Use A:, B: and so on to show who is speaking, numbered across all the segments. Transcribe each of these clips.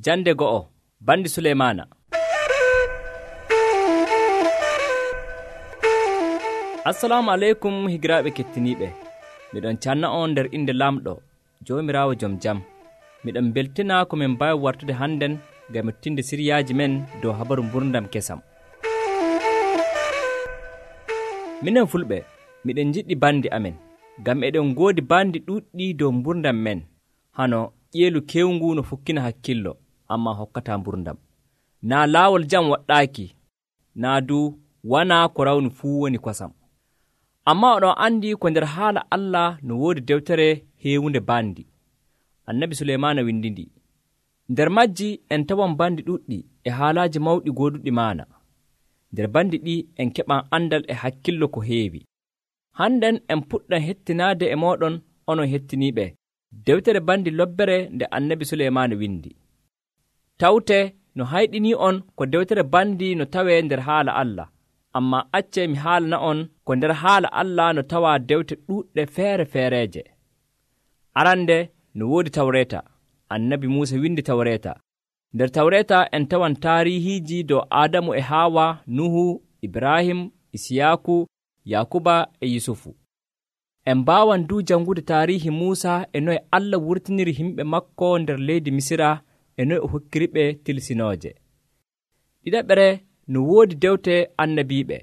A: Jande go'o bandi Suleymaana. Assalamu aleykum higiraaɓe kettiniiɓe. Miɗon canna on nder inde Lamɗo Joomiraawo Jom Jam. Miɗon beltina ko min mbawi wartude hannden ngam mettinde siryaaji men dow habaru mburdam kesam. Minen Fulɓe miɗen jiɗɗi bandi amen ngam eɗen ngoodi bandi ɗuɗɗi dow mburdam men, hano ƴeelu kewngu no fukkina hakkillo amma hokkata mburdam. Naa laawol jam waɗɗaaki, naa du wana ko rawni fuu woni kosam. Amma oɗon andi ko nder haala Allah no woodi dewtere heewunde bandi. Annabi Suleymaana windindi. Nder majji en tawan bandi ɗuɗɗi e haalaaji mawɗi gooduɗi maana. Nder bandi ɗi en keɓan andal e hakkillo ko heewi. Hannden en puɗɗan hettinaade e mooɗon onon hettiniiɓe dewtere bandi lobbere nde Annabi Suleymaana windi. Tawte no hayɗini on ko dewtere bandi no tawee nder haala Allah, amma acce mi haalana on ko nder haala Allah no tawaa dewte ɗuuɗɗe feere-feereeje. Arande no woodi Tawreeta. Annabi Muusa windi Tawreeta. Nder Tawreeta en tawan taarihiiji dow Aadamu e Haawa, Nuhu, Ibrahim, Isiyaaku, Yakuba e Yusufu. En mbaawan du jangude taarihi Muusa e noye Allah wurtiniri himɓe makko nder leydi Misira e noye o hokkiriɓe tilsinooje. Ɗiɗaɓere no woodi dewte annabiiɓe.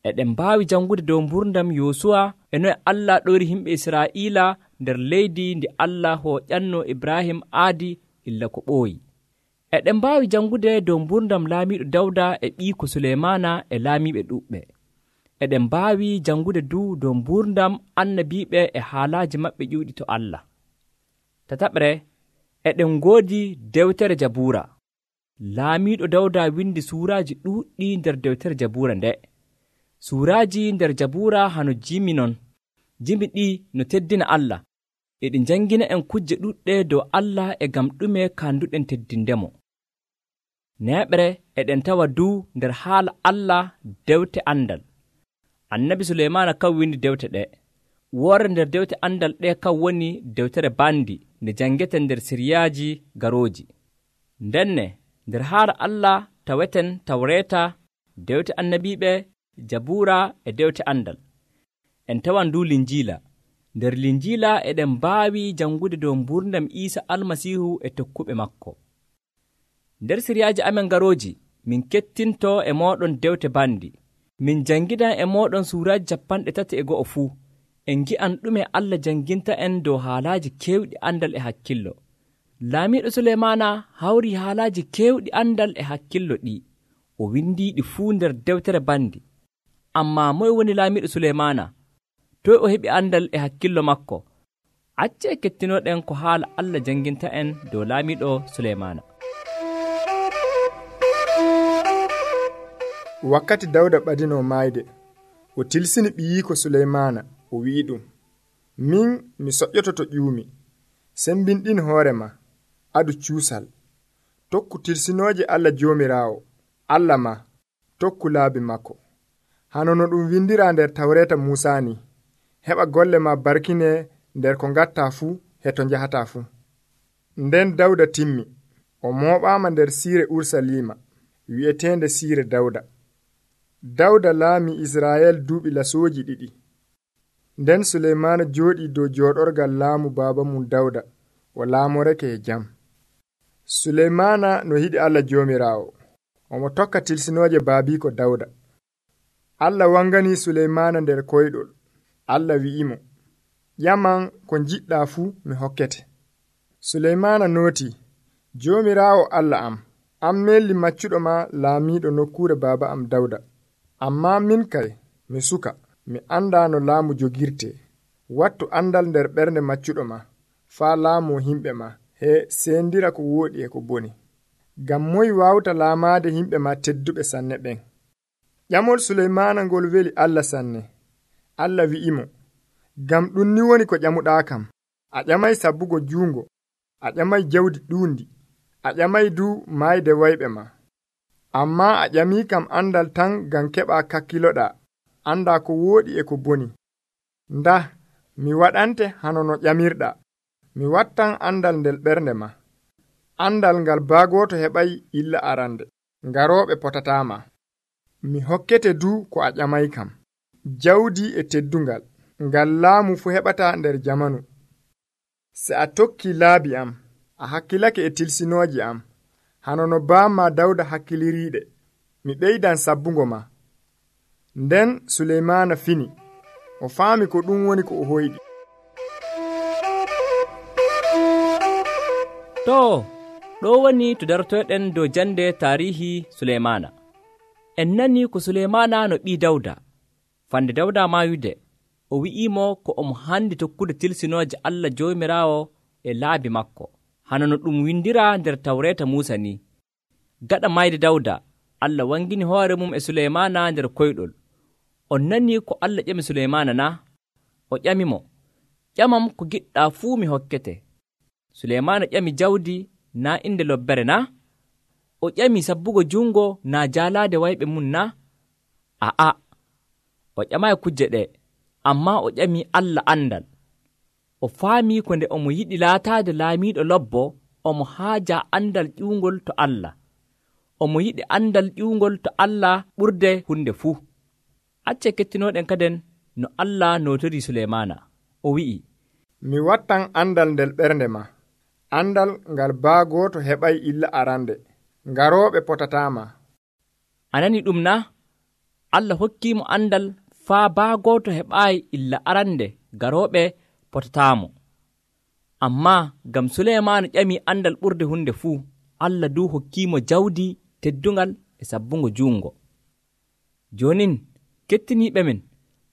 A: Eɗen mbaawi jangude dow mburdam Yosuwa e noye Allah ɗoyri himɓe Israa'iila nder leydi ndi Allah hooƴanno Ibrahim aadi illa ko ɓooyi. Eɗen mbaawi jangude dow mburdam laamiiɗo Dawda e ɓiiko Suleymaana e laamiiɓe ɗuuɓɓe. Eɗen mbaawi jangude du dow mburdam annabiiɓe e haalaaji maɓɓe ƴuuɗi to Allah. Tataɓre, eɗen ngoodi dewtere Jabuura. Laamiiɗo Dawda windi suuraaji ɗuuɗɗi nder dewtere Jabuura nde. Suuraaji nder Jabuura hano jimi non. Jimi ɗi no teddina Allah. Eɗi jangina en kujje ɗuɗɗe dow Allah e gam ɗume kanduɗen teddindemo. Neeɓre eɗen tawa du nder haala Allah dewte andal. Annabi Suleymaana kam windi dewte ɗe. Woore nder dewte andal ɗe kam woni dewtere bandi nde jangeten nder siryaaji garooji. Ndenne nder haala Allah taweten Tawreeta, dewte annabiiɓe, Jabuura e dewte andal. En tawan du Linjiila. Nder Linjiila eɗen mbaawi jangude dow mburdam Iisa Almasiihu e tokkuɓe makko. Nder siryaaji amen garooji min kettinto e mooɗon dewte bandi. Min jangidan e mooɗon suuraaji 30 fuu. En ngi'an ɗume Allah janginta en dow haalaaji keewɗi andal e hakkillo. Laamiiɗo Suleymaana hawri haalaaji keewɗi andal e hakkillo ɗi. O windiiɗi fuu nder dewtere bandi. Amma moye woni Laamiiɗo Suleymaana? Toy o heɓi andal e hakkillo makko? Acce kettinoɗen ko haala Allah janginta en dow Laamiiɗo Suleymaana.
B: Wakkati Dawda ɓadino maayde, o tilsini ɓiyiiko Suleymaana, o wi'i ɗum, min mi soƴƴoto to ƴuumi, sembinɗin hoore ma, adu cuusal, tokku tilsinooje Allah Joomiraawo, Allah ma, tokku laabi makko. Hano no ɗum windira nder Tawreeta Muusaa ni, heɓa golle ma barkine nder ko ngatta fuu e to njahata fuu. Nden Dawda timmi, o mooɓaama nder siire Ursaliima, wi'eteende siire Dawda. Dawda laami Israa'el duuɓi lasooji 2. Nden Suleymaana jooɗii dow jooɗorgal laamu baaba mum Dawda, o laamorake e jam. Suleymaana no yiɗi Allah Joomiraawo, omo tokka tilsinooje baabiiko Dawda. Allah wanganii Suleymaana nder koyɗol. Allah wi'imo, ƴaman ko jiɗɗaa fuu mi hokkete. Suleymaana nootii, Joomiraawo Allah am melli maccuɗo ma laamiiɗo nokkuure baaba am Dawda. Amma min kay mi suka, mi andaa no laamu jogirte. Wattu andal nder ɓernde maccuɗo ma, faa laamu himɓe ma, he seendira ko wooɗi e ko boni. Ngam moy waawta laamaade himɓe ma tedduɓe sanne ɓen. Ƴamol Suleymaana ngol weli Allah sanne. Allah wi'imo, ngam ɗum ni woni ko ƴamuɗaa kam. A ƴamay sabbugo juungo, a ƴamay jawdi ɗuundi, a ƴamay du maayde wayɓe ma. Amma a ƴamii kam andal tan ngam keɓaa kakkiloɗaa, andaa ko wooɗi e ko boni. Ndah, mi waɗante hano no ƴamirɗaa, mi wattan andal nder ɓernde ma. andal ngal baagoto heɓay illa arande, ngaroɓe potatama. Mi hokkete du ko a ƴamay kam, jawdi e teddungal, ngal laamu fu heɓata nder jamanu. Se a tokki laabi am, a hakkilake e tilsinooji am, hano no baama Dawda hakkiliriiɗe, mi ɓeydan sabbungo ma. Nden Suleymaana fini, o faami ko ɗum woni ko o hoyɗi.
A: ɗo woni to dartoyɗen dow jande tarihi Suleymaana. En nani ko Suleymaana no ɓii Dawda. Fande Dawda mayude, o wi'imo ko omo handi tokkude tilsinooje Allah Joomiraawo e laabi makko, hano no ɗum windira nder Tawreeta Muusa ni. Gaɗa mayde Dawda, Allah wangini hoore mum e Suleymaana nder koyɗol. On nani ko Allah ƴami Suleymaana na? O ƴamimo, ƴamam ko giɗɗa fuu mi hokkete. Suleymaana ƴami jawdi na inde lobbere na? O ƴami sabbugo jungo na jaalaade wayɓe mum na? Aa, o ƴamayi kujje ɗe, amma o ƴami Allah andal. O faami ko nde omo yiɗi laataade laamiiɗo lobbo, omo haaja andal ƴuungol to Allah. Omo yiɗi andal ƴuungol to Allah ɓurde hunde fuu. Acce kettinoɗen kaden no Allah notori Suleymaana. O wi'i,
B: mi wattan andal nder ɓernde ma, andal ngal baagoto heɓay illa arande, ngaroɓe potatama.
A: Anani ɗum na? Allah hokkimo andal faa baagoto heɓayi illa arande, garoɓe potatamo. Amma gam Suleymaana ƴami andal ɓurde hunde fuu, Allah du hokkimo jawdi teddungal e sabbungo juungo. Jonin kettiniɓe men,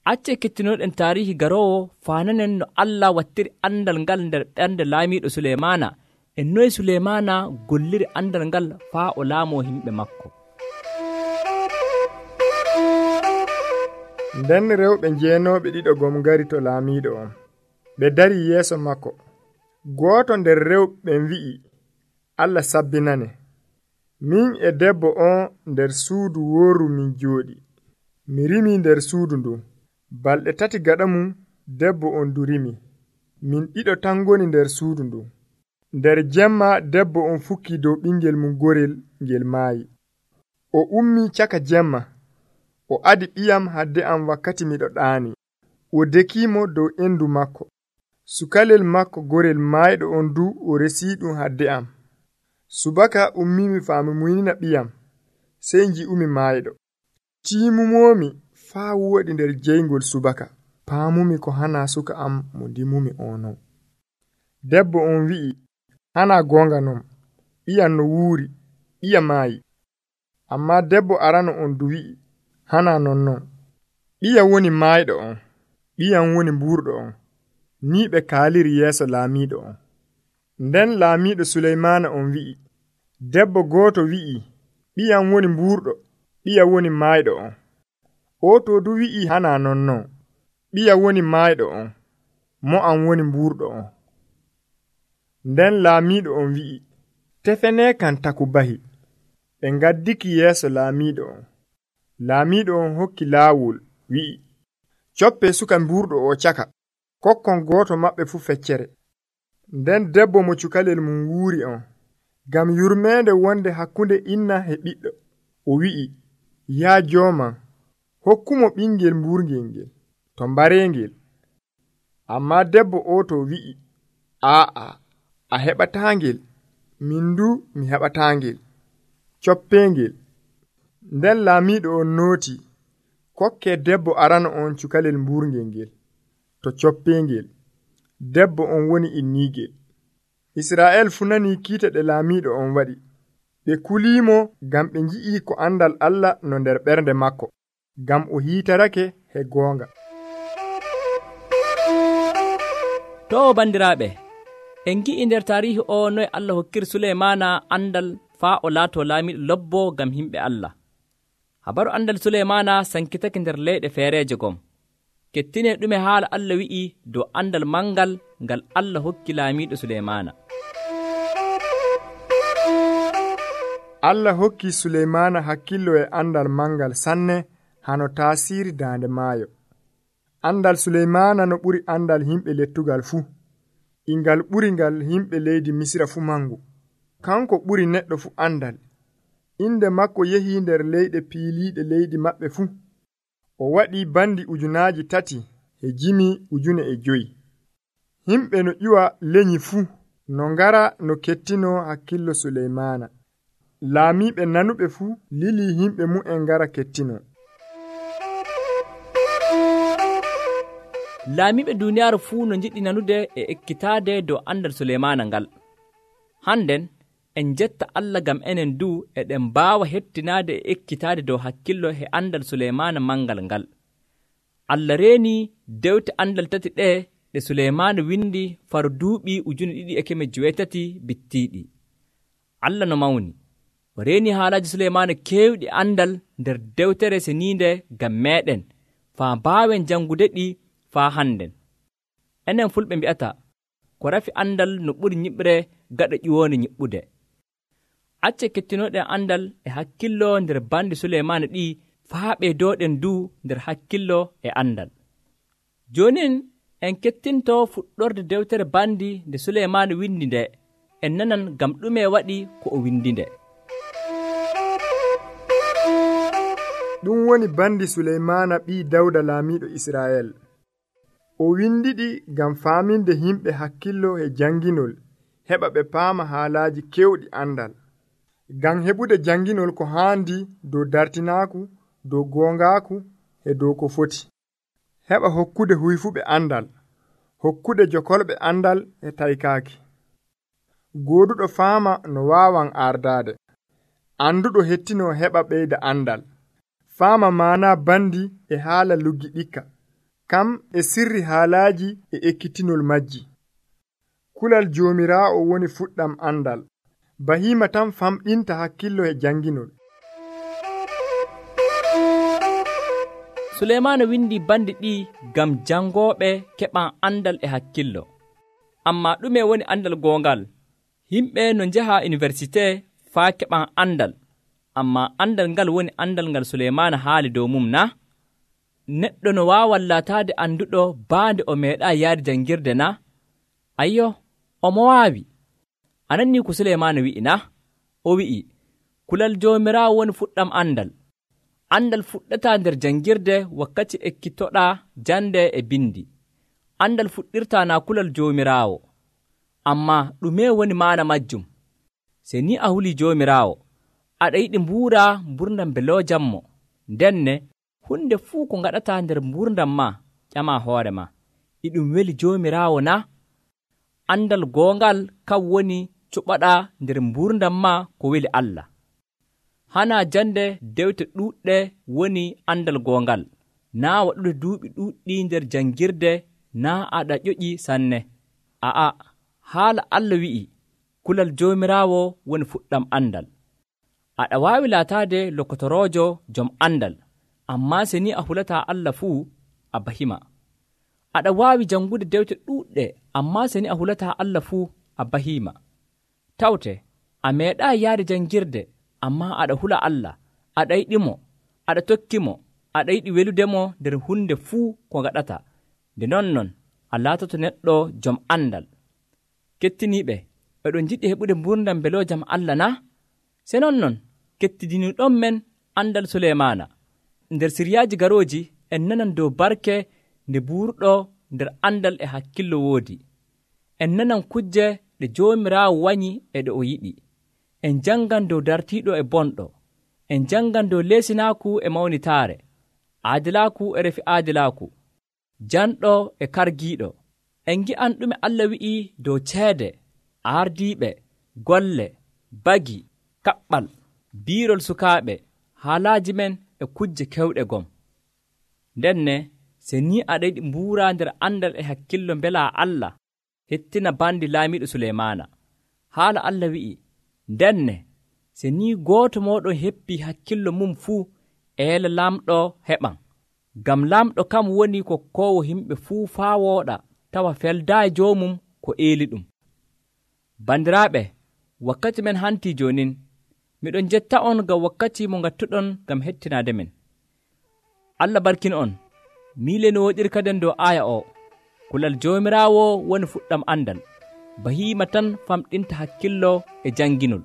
A: acce kettinoɗen tarihi garowo fananen no Allah wattiri andal ngal nder ɓernde laamiɗo Suleymaana e noye Suleymaana golliri andal ngal faa o laamo himɓe makko.
B: Nden rewɓe jeenooɓe ɗiɗo gom ngari to laamiiɗo on, ɓe dari yeeso makko. Gooto nder rewɓe wi'i, Allah sabbinane, min e debbo on nder suudu wooru min jooɗi. Mi rimi nder suudu ndun, balɗe 3 gaɗa mum debbo on du rimi. Min ɗiɗo tan ngoni nder suudu ndun. Nder jemma debbo on fukki dow ɓingel mum gorel ngel maayi. O ummi caka jemma, o adi ɓiyam hadde am wakkati miɗo ɗaani. O dekimo dow endu makko. Sukalel makko gorel maayɗo on du o resi ɗum hadde am. Subaka ummimi faami muynina ɓiyam, sey nji'umi maayɗo. Tiimumomi faa wooɗi nder jeyngol subaka, paamumi ko hana suka am mo ndimumi ono. Debbo on wi'i, hana gonga non, ɓiyam no wuuri, ɓiya maayi. Amma debbo arano on du wi'i, hana nonnon, ɓiya woni maayɗo on, ɓiyam woni mburɗo on. Ni ɓe kaaliri yeeso laamiiɗo on. Nden laamiiɗo Suleymaana on wi'i, debbo gooto wi'i, ɓiyam woni mburɗo, ɓiya woni maayɗo on. O to du wi'i hana nonnon, ɓiya woni maayɗo on, mo am woni mburɗo on. Nden laamiiɗo on wi'i, tefene kan taku bahi. Ɓe ngaddiki yeeso laamiiɗo on. Laamiiɗo on hokki laawol, wi'i, coppe suka mburɗo o caka, kokkon gooto maɓɓe fu feccere. Nden debbo mo cukalel mum wuuri on, gam yurmeende wonde hakkunde inna e ɓiɗɗo, o wi'i, yaa jooman, hokkumo ɓingel mburngel ngel, to mbareengel. Amma debbo o to wi'i, aa, a heɓataangel, min du mi heɓataangel, coppengel. Nden laamiiɗo on nooti, kokke debbo arano on cukalel mburngel ngel, to coppengel. Debbo on woni inniigel. Israa'el fu nani kiita ɗe laamiiɗo on waɗi. Ɓe kuliimo gam ɓe nji'i ko andal Allah no nder ɓernde makko, gam o hiitarake he goonga.
A: To bandiraɓe, en gi'i nder tarihi o noye Allah hokkiri Suleymaana andal faa o laato laamiɗo lobbo gam himɓe Allah. Habaru andal Suleymaana sankitake nder leyɗe feereje gom. Kettine ɗume haala Allah wi'i dow andal mangal ngal Allah hokki laamiɗo Suleymaana.
B: Allah hokki Suleymaana hakkillo e andal mangal sanne hano taasiri daande maayo. Andal Suleymaana no ɓuri andal himɓe lettugal fuu. Ingal ɓuri ngal himɓe leydi Misira fuu mangu. kanko ɓuri neɗɗo fu andal. Inde makko yehi nder leyɗe piiliiɗe leydi maɓɓe fuu. O waɗi bandi 3,500. Himɓe no ƴiwa lenyi fuu no ngara no kettino hakkillo Suleymaana. Laamiiɓe nanuɓe fuu lili himɓe mu'en ngara kettino.
A: Laamiiɓe duuniyaaru fuu no njiɗi nanude e ekkitaade dow andal Suleymaana ngal. Hannden en jetta Allah ngam enen du eɗen mbaawa hettinaade e ekkitaade dow hakkillo e andal Suleymaana mangal ngal. Allah reenii dewte andal tati ɗe Suleymaana windi far duuɓi 2,800 bittiiɗi. Allah no mawni o reenii haalaaji Suleymaana keewɗi andal nder dewtere seniinde ngam meeɗen faa mbaawen janngude ɗi faa hannden. Enen fulɓe mbi'ata ko rafi andal no ɓuri nyiɓre gaɗa ƴiwoonde nyiɓɓude. Acce kettinoɗen andal e hakkillo nder bandi Suleymaana ɗi faa ɓeydooɗen du nder hakkillo e andal. Joonin en kettinto fuɗɗorde dewtere bandi nde Suleymaana windi nde, en nanan ngam ɗume waɗi ko o windi nde.
B: Ɗum woni bandi Suleymaana ɓii Dawda laamiiɗo Israa'el. O windiɗi ngam faaminde himɓe hakkillo e janginol, heɓa ɓe paama haalaaji kewɗi andal. Ngam heɓude janginol ko haandi dow dartinaaku, dow goongaaku e dow ko foti. Heɓa hokkude huyfuɓe andal, hokkude jokolɓe andal e taykaaki. Gooduɗo faama no waawan ardaade. Anduɗo hettino heɓa ɓeyda andal. Faama maana bandi e haala luggi ɗikka. Kam e sirri haalaaji e ekkitinol majji. Kulal Joomiraawo woni fuɗɗam andal. Bahiima tan famɗinta hakkillo e janginol.
A: Suleymaana windi bandi ɗi ngam jangooɓe keɓan andal e hakkillo. Amma ɗume woni andal goongal? Himɓe no njaha université faa keɓan andal, amma andal ngal woni andal ngal Suleymaana haali dow mum na? Neɗɗo no waawan laataade anduɗo baande o meeɗaa yaade janngirde na? Ayyo, omo waawi. Anannii ko Suleymaana wi'i na? O wi'i, kulal Joomiraawo woni fuɗɗam andal. Andal fuɗɗataa nder janngirde wakkati ekkitoɗaa jande e bindi. Andal fuɗɗirtaa naa kulal Joomiraawo. Amma ɗume woni maana majjum? Se ni a hulii Joomiraawo, aɗa yiɗi mbuuraa mburdam mbeloojammo, ndenne hunde fuu ko ngaɗataa nder mburdam ma ƴamaa hoore ma. E ɗum weli Joomiraawo na? Andal goongal kam woni cuɓaɗaa nder mburdam ma ko weli Allah. Hana jande dewte ɗuuɗɗe woni andal goongal, naa waɗude duuɓi ɗuuɗɗi nder janngirde, naa aɗa ƴoƴi sanne. A'a, haala Allah wi'i, kulal Joomiraawo woni fuɗɗam andal. Aɗa waawi laataade lokotoroojo jom andal, ammaa se ni a hulataa Allah fuu, a bahima. Aɗa waawi janngude dewte ɗuuɗɗe, ammaa se ni a hulataa Allah fuu, a bahima. Tawte, a meeɗaa yaade janngirde, ammaa aɗa hula Allah, aɗa yiɗimo, aɗa tokkimo, aɗa yiɗi weludemo nder hunde fuu ko ngaɗata. Nde nonnon, a laatoto neɗɗo jom andal. Kettiniiɓe, eɗon njiɗi heɓude mburdam mbeloojam Allah na? Se nonnon, kettidiniiɗon men andal Suleymaana. Nder siriyaaji garooji, en nanan dow barke nde buurɗo nder andal e hakkillo woodi. En nanan kujje ɗe Joomiraawo wanyi e ɗe o yiɗi. En jangan dow dartiiɗo e bonɗo. En jangan dow leesinaaku e mawnitaare, aadilaaku e refi aadilaaku, janɗo e kargiiɗo. En ngi'an ɗume Allah wi'i dow ceede, aardiiɓe, golle, bagi, kaɓɓal, biirol sukaaɓe, haalaaji men e kujje kewɗe gom. Ndenne, se ni aɗa yiɗi mbuuraa nder andal e hakkillo mbelaa Allah, hettina bandi laamiiɗo Suleymaana. Haala Allah wi'i, ndenne, se ni gooto mooɗon heppii hakkillo mum fuu, eela lamɗo heɓan. Ngam lamɗo kam woni kokkoowo himɓe fuu faa wooɗa, tawa feldaayi joomum ko eeli ɗum. Bandiraaɓe, wakkati men hantii joonin. Miɗon jetta on ngam wakkati mo ngattuɗon ngam hettinaade men. Allah barkin on. Miile no woɗirkaden dow aaya o. Kulal Joomiraawo woni fuɗɗam andal. bahima tan famɗinta hakkillo e janginol.